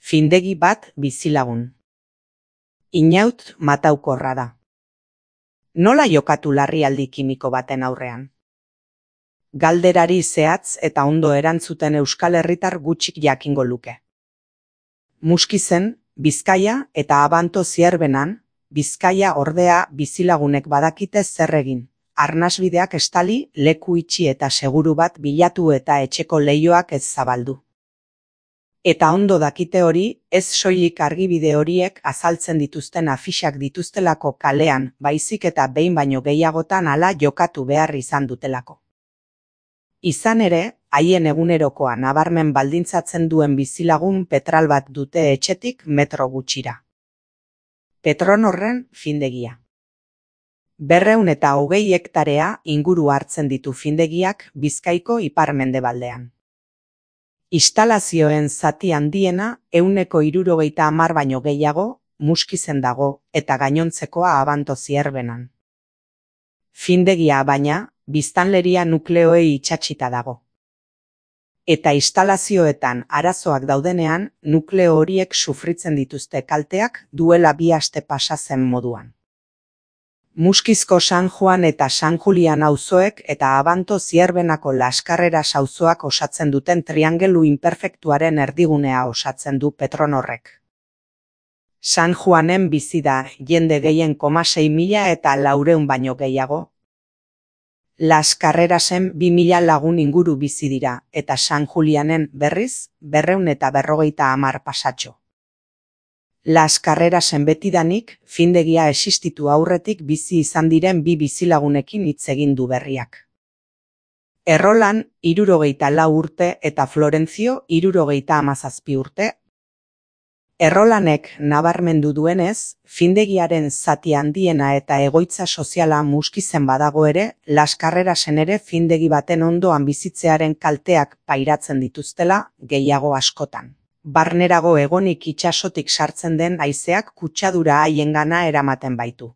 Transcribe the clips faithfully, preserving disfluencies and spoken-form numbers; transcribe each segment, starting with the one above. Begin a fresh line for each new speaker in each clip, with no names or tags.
Findegi bat bizilagun. Inaut mataukorra da. Nola jokatu larrialdi kimiko baten aurrean? Galderari zehatz eta ondo erantzuten Euskal Herritar gutxik jakingo luke. Muskizen, Bizkaia eta Abanto Zierbenan, Bizkaia ordea bizilagunek badakite zer egin. Arnasbideak estali, leku itxi eta seguru bat bilatu eta etxeko leihoak ez zabaldu. Eta ondo dakite hori, ez soilik argibide horiek azaltzen dituzten afixak dituztelako kalean, baizik eta behin baino gehiagotan hala jokatu behar izan dutelako. Izan ere, haien egunerokoa nabarmen baldintzatzen duen bizilagun petral bat dute etxetik metro gutxira. Petronorren findegia. Berreun eta hogei hektarea inguru hartzen ditu findegiak Bizkaiko ipar-mendebaldean. Instalazioen zati handiena ehuneko hirurogeita hamar baino gehiago Muskizen dago eta gainontzekoa Abanto Zierbenan. Findegia baina, biztanleria nukleoei itsatsita dago. Eta instalazioetan arazoak daudenean, nukleo horiek sufritzen dituzte kalteak duela bi aste pasa zen moduan. Muskizko San Juan eta San Julian auzoek eta Abanto Zierbenako Laskarreras auzoak osatzen duten triangelu inperfektuaren erdigunea osatzen du Petronorrek. San Juanen bizi da jende gehien koma sei mila eta laureun baino gehiago. Laskarrerasen bi mila lagun inguru bizi dira eta San Julianen berriz berreun eta berrogeita hamar pasatxo. Laskarrerasen betidanik, findegia existitu aurretik bizi izan diren bi bizilagunekin hitz egin du berriak. Errolan, hirurogeita lau urte eta Florentzio, hirurogeita hamazazpi urte. Errolanek nabarmendu duenez, findegiaren zati handiena eta egoitza soziala Muskizen badago ere, Laskarrerasen ere findegi baten ondoan bizitzearen kalteak pairatzen dituztela, gehiago askotan. Barnerago egonik itsasotik sartzen den haizeak kutsadura haiengana eramaten baitu.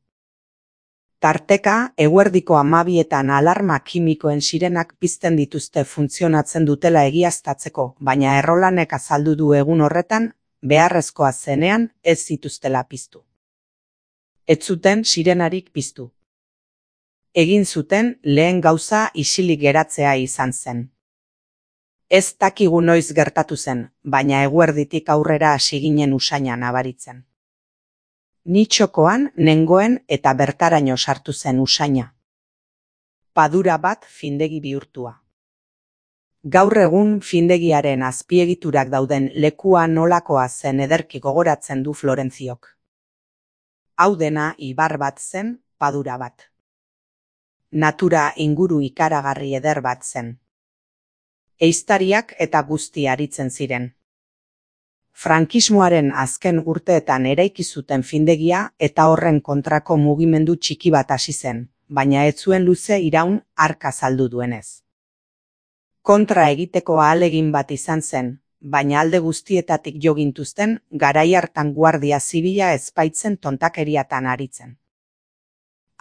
Tarteka, eguerdiko hamabietan alarma kimikoen sirenak pizten dituzte funtzionatzen dutela egiaztatzeko, baina Errolanek azaldu du egun horretan, beharrezkoa zenean ez zituztela piztu. Ez zuten sirenarik piztu. Egin zuten lehen gauza isilik geratzea izan zen. Ez dakigu noiz gertatu zen, baina eguerditik aurrera hasi ginen usaina nabaritzen. Ni txokoan, nengoen eta bertaraino sartu zen usaina. Padura bat findegi bihurtua. Gaur egun findegiaren azpiegiturak dauden lekua nolakoa zen ederki gogoratzen du Florentziok. Hau dena ibar bat zen, padura bat. Natura inguru ikaragarri eder bat zen. Ehiztariak eta guzti aritzen ziren. Frankismoaren azken urteetan eraiki zuten findegia eta horren kontrako mugimendu txiki bat hasi zen, baina ez zuen luze iraun hark azaldu duenez. Kontra egiteko ahalegin bat izan zen, baina alde guztietatik jo gintuzten garai hartan guardia zibila ez baitzen tontakeriatan aritzen.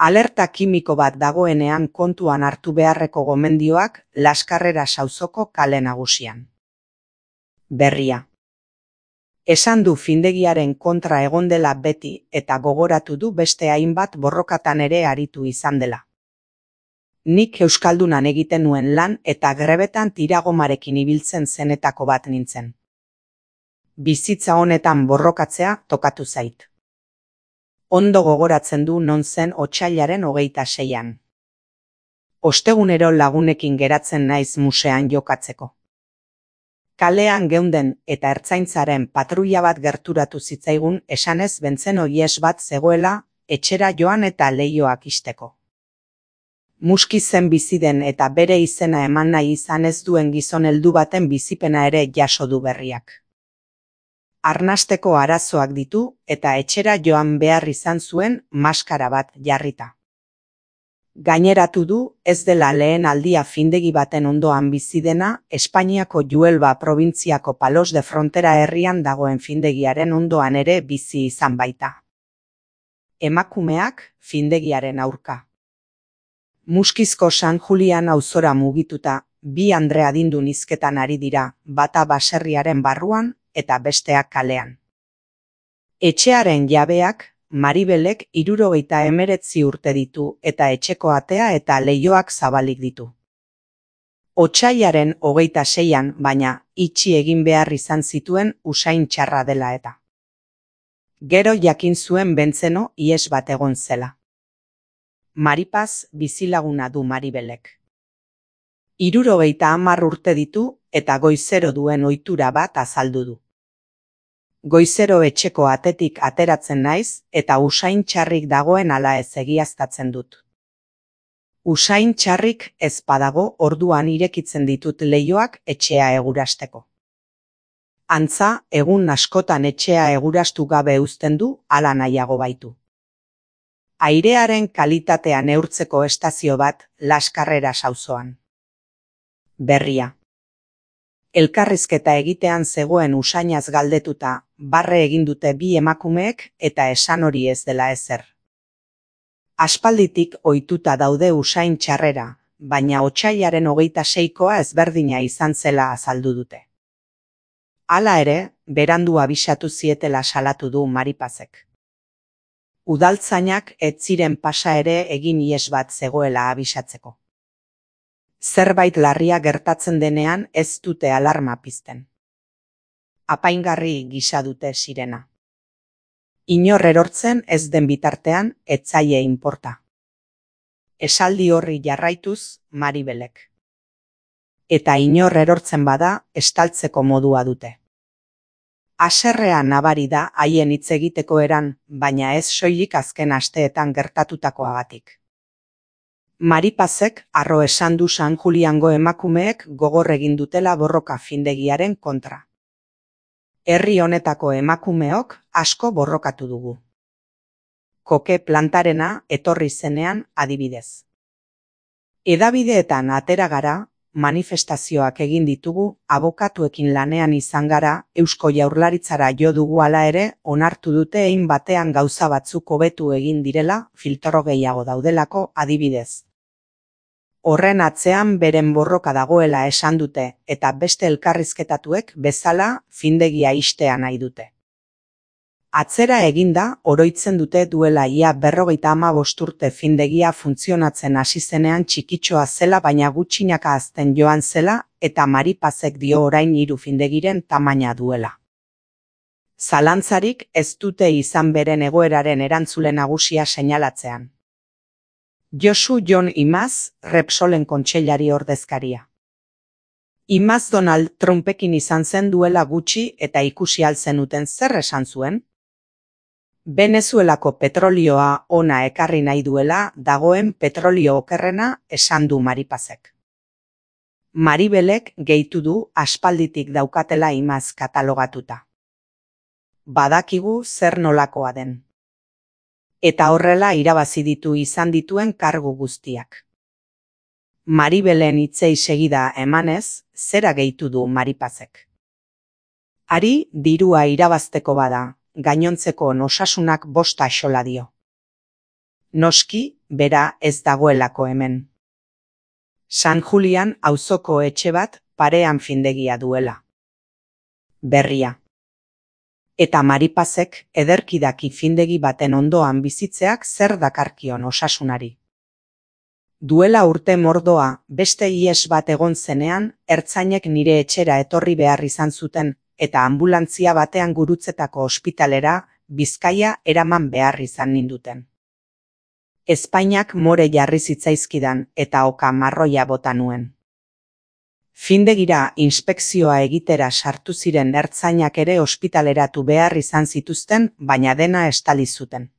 Alerta kimiko bat dagoenean kontuan hartu beharreko gomendioak Laskarreras auzoko kale nagusian. Berria. Esan du findegiaren kontra egon dela beti eta gogoratu du beste hainbat borrokatan ere aritu izan dela. Nik euskaldunan egiten nuen lan eta grebetan tiragomarekin ibiltzen zenetako bat nintzen. Bizitza honetan borrokatzea tokatu zait. Ondo gogoratzen du non zen otsailaren hogeita seian. Ostegunero lagunekin geratzen naiz musean jokatzeko. Kalean geunden eta ertzaintzaren patruila bat gerturatu zitzaigun esanez bentzen oies bat zegoela etxera joan eta leihoak ixteko. Muskizen bizi den eta bere izena eman nahi izan ez duen gizon heldu baten bizipena ere jaso du berriak. Arnasteko arazoak ditu eta etxera joan behar izan zuen maskara bat jarrita. Gaineratu du ez dela lehen aldia findegi baten ondoan bizi dena Espainiako Huelva probintziako Palos de Frontera herrian dagoen findegiaren ondoan ere bizi izan baita. Emakumeak findegiaren aurka. Muskizko San Julian auzora mugituta, bi andre adindun hizketan ari dira, bata baserriaren barruan eta besteak kalean. Etxearen jabeak Maribelek hirurogeita hemeretzi urte ditu eta etxeko atea eta leihoak zabalik ditu. Otsailaren hogeita seian, baina, itxi egin behar izan zituen usain txarra dela eta. Gero jakin zuen Bentzeno ihes bat egon zela. Maripaz bizilaguna du Maribelek. Hirurogeita hamar urte ditu eta goizero duen ohitura bat azaldu du. Goizero etxeko atetik ateratzen naiz eta usain txarrik dagoen ala ez egiaztatzen dut. Usain txarrik ez badago orduan irekitzen ditut leihoak etxea egurasteko. Antza, egun askotan etxea egurastu gabe uzten du hala nahiago baitu. Airearen kalitatea neurtzeko estazio bat Laskarreras auzoan. Berria. Elkarrizketa egitean zegoen usainaz galdetuta, barre egin dute bi emakumeek eta esan hori ez dela ezer. Aspalditik ohituta daude usain txarrera, baina otsailaren hogeita seikoa ezberdina izan zela azaldu dute. Hala ere, berandu abisatu zietela salatu du Maripazek. Udaltzainak ez ziren pasa ere egin ihes bat zegoela abisatzeko. Zerbait larria gertatzen denean ez dute alarma pizten. Apaingarri gisa dute sirena. Inor erortzen ez den bitartean ez zaie inporta. Esaldi horri jarraituz Maribelek. Eta inor erortzen bada estaltzeko modua dute. Haserrea nabari da haien hitz egiteko eran, baina ez soilik azken asteetan gertatutakoagatik. Maripazek harro esan du San Juliango emakumeek gogor egin dutela borroka findegiaren kontra. Herri honetako emakumeok asko borrokatu dugu. Koke plantarena etorri zenean adibidez. Hedabideetan atera gara, manifestazioak egin ditugu, abokatuekin lanean izan gara, Eusko Jaurlaritzara jo dugu hala ere, onartu dute hein batean gauza batzuk hobetu egin direla, filtro gehiago daudelako adibidez. Horren atzean beren borroka dagoela esan dute, eta beste elkarrizketatuek bezala findegia ixtea nahi dute. Atzera eginda, oroitzen dute duela ia berrogeita hamabost urte findegia funtzionatzen hasi zenean txikitxoa zela baina gutxinaka hazten joan zela eta Maripazek dio orain hiru findegiren tamaina duela. Zalantzarik ez dute izan beren egoeraren erantzule nagusia seinalatzean. Josu Jon Imaz, Repsolen kontseilari ordezkaria. Imaz Donald Trumpekin izan zen duela gutxi eta ikusi alzenuten zer esan zuen? Venezuelako petrolioa ona ekarri nahi duela dagoen petrolio okerrena esan du Maripazek. Maribelek gehitu du aspalditik daukatela Imaz katalogatuta. Badakigu zer nolakoa den. Eta horrela irabazi ditu izan dituen kargu guztiak. Maribelen hitzei segida emanez, zera gehitu du Maripazek. Ari dirua irabazteko bada, gainontzeko osasunak bosta axola dio. Noski, bera ez dagoelako hemen. San Julian auzoko etxe bat parean findegia duela. Berria. Eta Maripazek ederkidaki findegi baten ondoan bizitzeak zer dakarkion osasunari. Duela urte mordoa, beste ihes bat egon zenean, ertzainek nire etxera etorri behar izan zuten, eta anbulantzia batean gurutzetako ospitalera, Bizkaia eraman behar izan ninduten. Ezpainak more jarri zitzaizkidan eta oka marroia bota nuen. Findegira inspekzioa egitera sartu ziren ertzainak ere ospitaleratu behar izan zituzten, baina dena estali zuten.